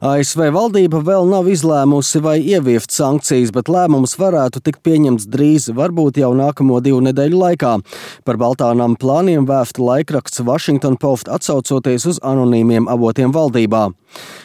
ASV valdība vēl nav izlēmusi vai ieviest sankcijas, bet lēmums varētu tikt pieņemts drīz, varbūt jau nākamo 2 nedēļu laikā. Par Baltā nama plāniem vēsta laikraksts Washington Post atsaucoties uz anonīmiem avotiem valdībā.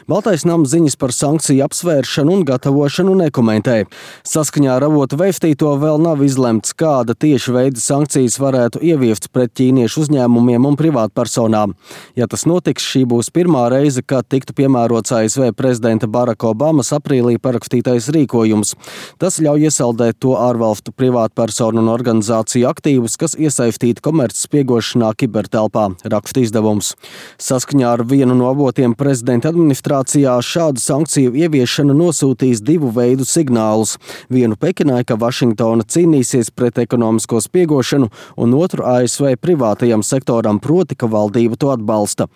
Baltais nams ziņas par sankciju apsvēršanu un gatavošanu nekomentē. Saskaņā ar avotu vēstīto vēl nav izlemts, kāda tieši veida sankcijas varētu ieviest pret ķīniešu uzņēmumiem un privātpersonām. Ja tas notiks, šī būs pirmā reize, kad tiktu piemērots ASV prezidenta Baraka Obamas aprīlī parakstītais rīkojums. Tas ļauj iesaldēt to ārvalstu privātpersonu un organizāciju aktīvus, kas iesaistīti komercspiegošanā kibertelpā, raksta izdevums. Saskaņā ar vienu no avotiem prezidenta administrācijā šādu sankciju ieviešana nosūtīs 2 veidu signālus. Vienu Pekinai, ka Vašingtona cīnīsies pret ekonomisko spiegošanu, un otru ASV privātajam sektoram, proti, ka valdība to atbalsta.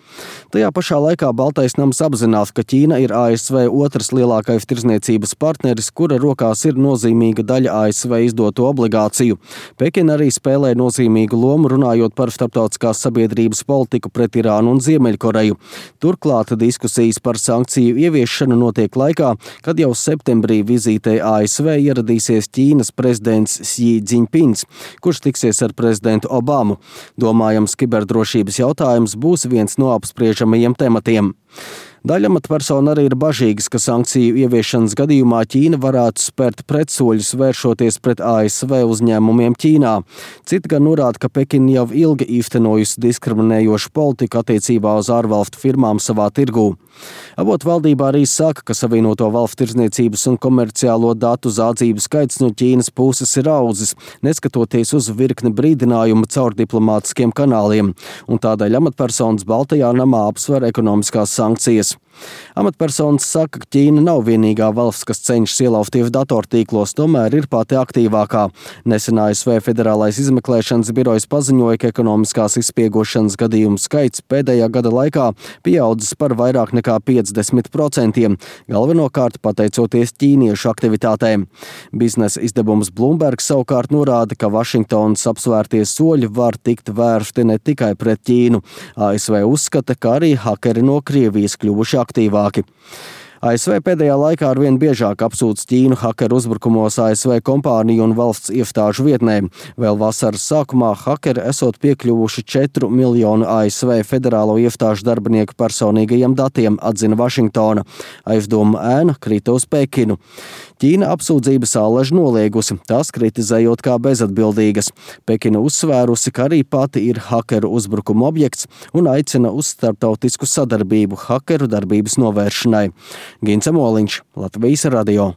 Tajā pašā laikā Baltais nams apzinās, ka Ķīna ir ASV otrs lielākais tirdzniecības partneris, kura rokās ir nozīmīga daļa ASV izdoto obligāciju. Pekina arī spēlē nozīmīgu lomu runājot par starptautiskās sabiedrības politiku pret Irānu un Ziemeļkoreju. Turklāt diskusijas par sankciju ieviešanu notiek laikā, kad jau septembrī vizītē ASV ieradīsies Ķīnas prezidents Xi Jinpings, kurš tiksies ar prezidentu Obamu. Domājams, kiberdrošības jautājums būs viens no apspriežamajiem tematiem. Daļa amatpersonu arī ir bažīgas, ka sankciju ieviešanas gadījumā Ķīna varētu spērt pretsoļus vēršoties pret ASV uzņēmumiem Ķīnā. Citi gan norāda, ka Pekina jau ilgi īstenojusi diskriminējošu politiku attiecībā uz ārvalstu firmām savā tirgū. Avotu valdībā arī saka, ka Savienoto Valstu tirdzniecības un komerciālo datu zādzību skaits no Ķīnas puses ir audzis, neskatoties uz virkni brīdinājumu caur diplomātiskiem kanāliem, un tādēļ amatpersonas Baltajā namā apsver ekonomiskās sankcijas. Amatpersonas saka, ka Ķīna nav vienīgā valsts, kas cenšas ielausties datortīklos, tomēr ir pati aktīvākā. Nesen ASV Federālais izmeklēšanas birojs paziņoja, ka ekonomiskās izspiegošanas gadījumu skaits pēdējā gada laikā pieaudzis par vairāk nekā 50%, galvenokārt pateicoties ķīniešu aktivitātēm. Biznesa izdevums Bloomberg savukārt norāda, ka Vašingtonas apsvērtie soļi var tikt vērsti ne tikai pret Ķīnu. ASV uzskata, ka arī hakeri no Krievijas kļuvuši aktīvāki. ASV pēdējā laikā arvien biežāk apsūdz Ķīnu hakeru uzbrukumos ASV kompāniju un valsts iestāžu vietnēm. Vēl vasaras sākumā hakeri esot piekļuvuši 4 miljonu ASV federālo iestāžu darbinieku personīgajiem datiem, atzina Vašingtona. Aizdomu ēna krita uz Pekinu. Ķīna apsūdzības ālež noliegusi, tās kritizējot kā bezatbildīgas. Pekina uzsvērusi, ka arī pati ir hakeru uzbrukuma objekts un aicina uz starptautisku sadarbību hakeru darbības novēršanai. Gints Moliņš, Latvijas radio.